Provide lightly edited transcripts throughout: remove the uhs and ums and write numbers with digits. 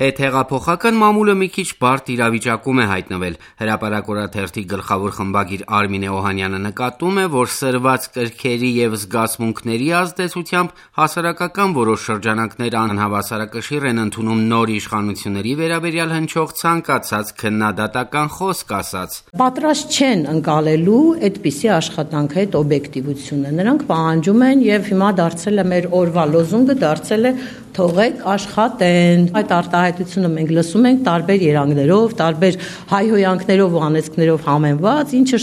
Հետհեղափոխական մամուլը մի քիչ բարդ իրավիճակում է հայտնվել։ Հրապարակ օրաթերթի գլխավոր խմբագիր Արմինե Օհանյանը նկատում է, որ սրված կրքերի և զգացմունքների ազդեցությամբ հասարակական որոշ շրջանակներ անհավասարակշիռ են ընդունում նոր իշխանությունների վերաբերյալ հնչող ցանկացած քննադատական խոսք ասաց. Պատրաստ չեն ընկալելու այդպիսի աշխատանքի հետ օբյեկտիվությունը։ Նրանք պահանջում են եւ հիմա դարձել է մեր օրվա լոզունգը, դարձել է թողեք աշխատեն։ Այդ արտահայտությունը մենք լսում ենք տարբեր երանգներով, տարբեր հայհոյանքներով ու անեծքներով համեմված, ինչը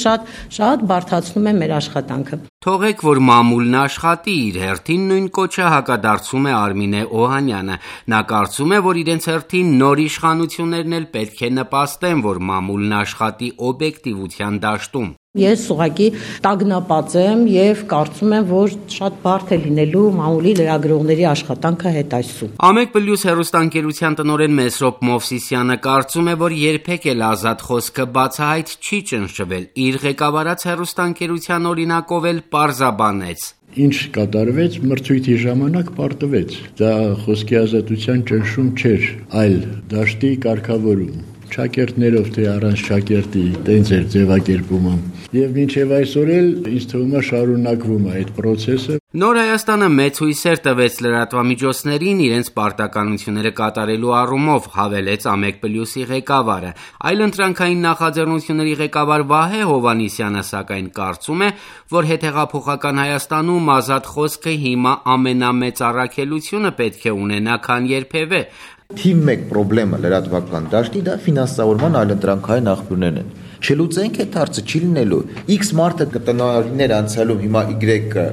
շատ բարդացնում է մեր աշխատանքը։ Թողեք, որ մամուլն աշխատի, իր հերթին նույն կոչը հակադարձում է Արմինե Օհանյանը։ Նա կարծում է, որ իրենց հերթին նոր իշխանություններն էլ պետք է նպաստեն, որ մամուլն աշխատի օբյեկտիվության դաշտում։ Ես ուղղակի տագնապած եմ եւ կարծում եմ, որ շատ բարդ է լինելու մամուլի լրագրողների աշխատանքը հետայսու։ Ամեկ++ հեռուստաընկերության տնօրեն Մեսրոպ Մովսիսյանը կարծում է, որ երբեք էլ ազատ խոսքը բացահայտ չի ճնշվել։ Իր ղեկավարած հեռուստաընկերության օրինակով էլ պարզաբանեց. Ինչ կատարվեց, մրցույթի ժամանակ պարտվեց։ Դա խոսքի ազատության ճնշում չէր, այլ դաշտի կարգավորում։ Շակերտներով թե առանց շակերտի տենց էր ձևակերպումը։ Եվ մինչև այսօր էլ ինձ թվում է շարունակվում է այդ process-ը։ Նոր Հայաստանը մեծ հույսեր տվեց լրատվամիջոցներին իրենց պարտականությունները կատարելու առումով, հավելեց Ամեկ++-ի ղեկավարը։ Այլընտրանքային նախաձեռնությունների ղեկավար Վահե Հովհաննիսյանը սակայն կարծում է, որ հետհեղափոխական Հայաստանում ազատ խոսքը հիմա ամենամեծ առաքելությունը պետք է ունենա, քան երբևէ։ Թիվ 1 խնդրեմը լրատվական դաշտի դա ֆինանսավորման այլընտրանքային աղբյուրներն են։ Չլուծենք այդ հարցը չի լինելու։ X մարդը կտնօրիներ անցյալում հիմա Y-ը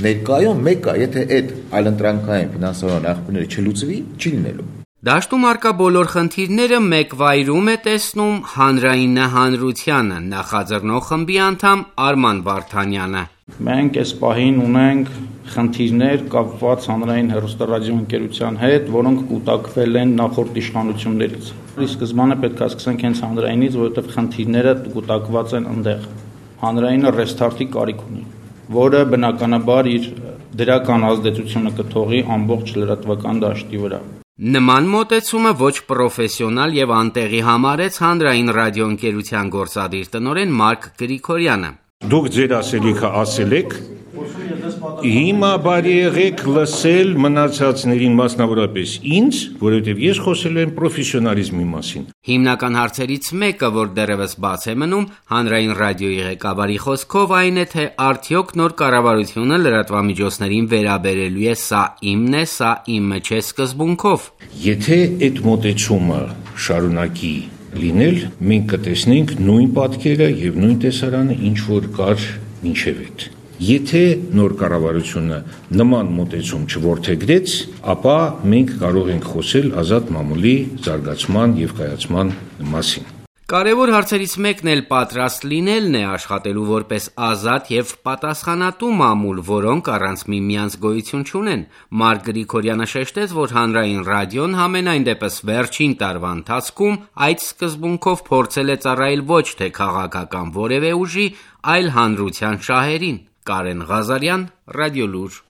ներկայում մեկը, եթե այդ այլընտրանքային ֆինանսավորման աղբյուրները չլուծվի, չի լինելու։ Դաշտում արկա բոլոր խնդիրները մեկ վայրում է տեսնում հանրայինը հանրությանը, նախաձեռնող խմբի անդամ Արման Վարդանյանը։ Մենք այս պահին ունենք խնդիրներ կապված հանրային հեռուստառադիոընկերության հետ, որոնք կուտակվել են նախորդ իշխանություններից։ Ի սկզբանե պետք է սկսենք հենց հանրայինից, որովհետև խնդիրները կուտակված են այնտեղ։ Հանրայինը ռեստարտի կարիք ունի, որը բնականաբար իր դրական ազդեցությունը կթողի ամբողջ լրատվական դաշտի վրա։ Նման մոտեցումը ոչ պրոֆեսիոնալ եւ անտեղի համարեց հանրային ռադիոընկերության գործադիր տնօրեն Մարկ Գրիգորյանը։ Դուք ձեր ասելիքը ասել եք, հիմա բարի եղեք լսել մնացածներին, մասնավորապես ինձ, որովհետև ես խոսել եմ պրոֆեսիոնալիզմի մասին։ Հիմնական հարցերից մեկը, որ դեռևս բաց է մնում, հանրային ռադիոյի ղեկավարի խոսքով այն է, թե արդյոք նոր կառավարությունը լրատվամիջոցներին վերաբերելու է սա իմն է, սա իմը չէ սկզբունքով։ Եթե այդ մոտեցումը շարունակի լինել, մենք կտեսնենք նույն պատկերը եւ նույն տեսարանը, ինչ որ կար մինչև այդ։ Եթե նոր կառավարությունը նման մոտեցում չորդեգրեց, ապա մենք կարող ենք խոսել ազատ մամուլի զարգացման եւ կայացման մասին։ Կարևոր հարցերից մեկն էլ պատրաստ լինելն է աշխատելու որպես ազատ եւ պատասխանատու մամուլ, որոնք առանց միմյանց գոյություն չունեն։ Մարկ Գրիգորյանը շեշտեց, որ հանրային ռադիոն համենայն դեպս վերջին տարվա ընթացքում այդ սկզբունքով փորձել է ծառայել ոչ թե քաղաքական որևէ ուժի, այլ հանրության շահերին։ Կարեն Ղազարյան, Ռադիոլուր։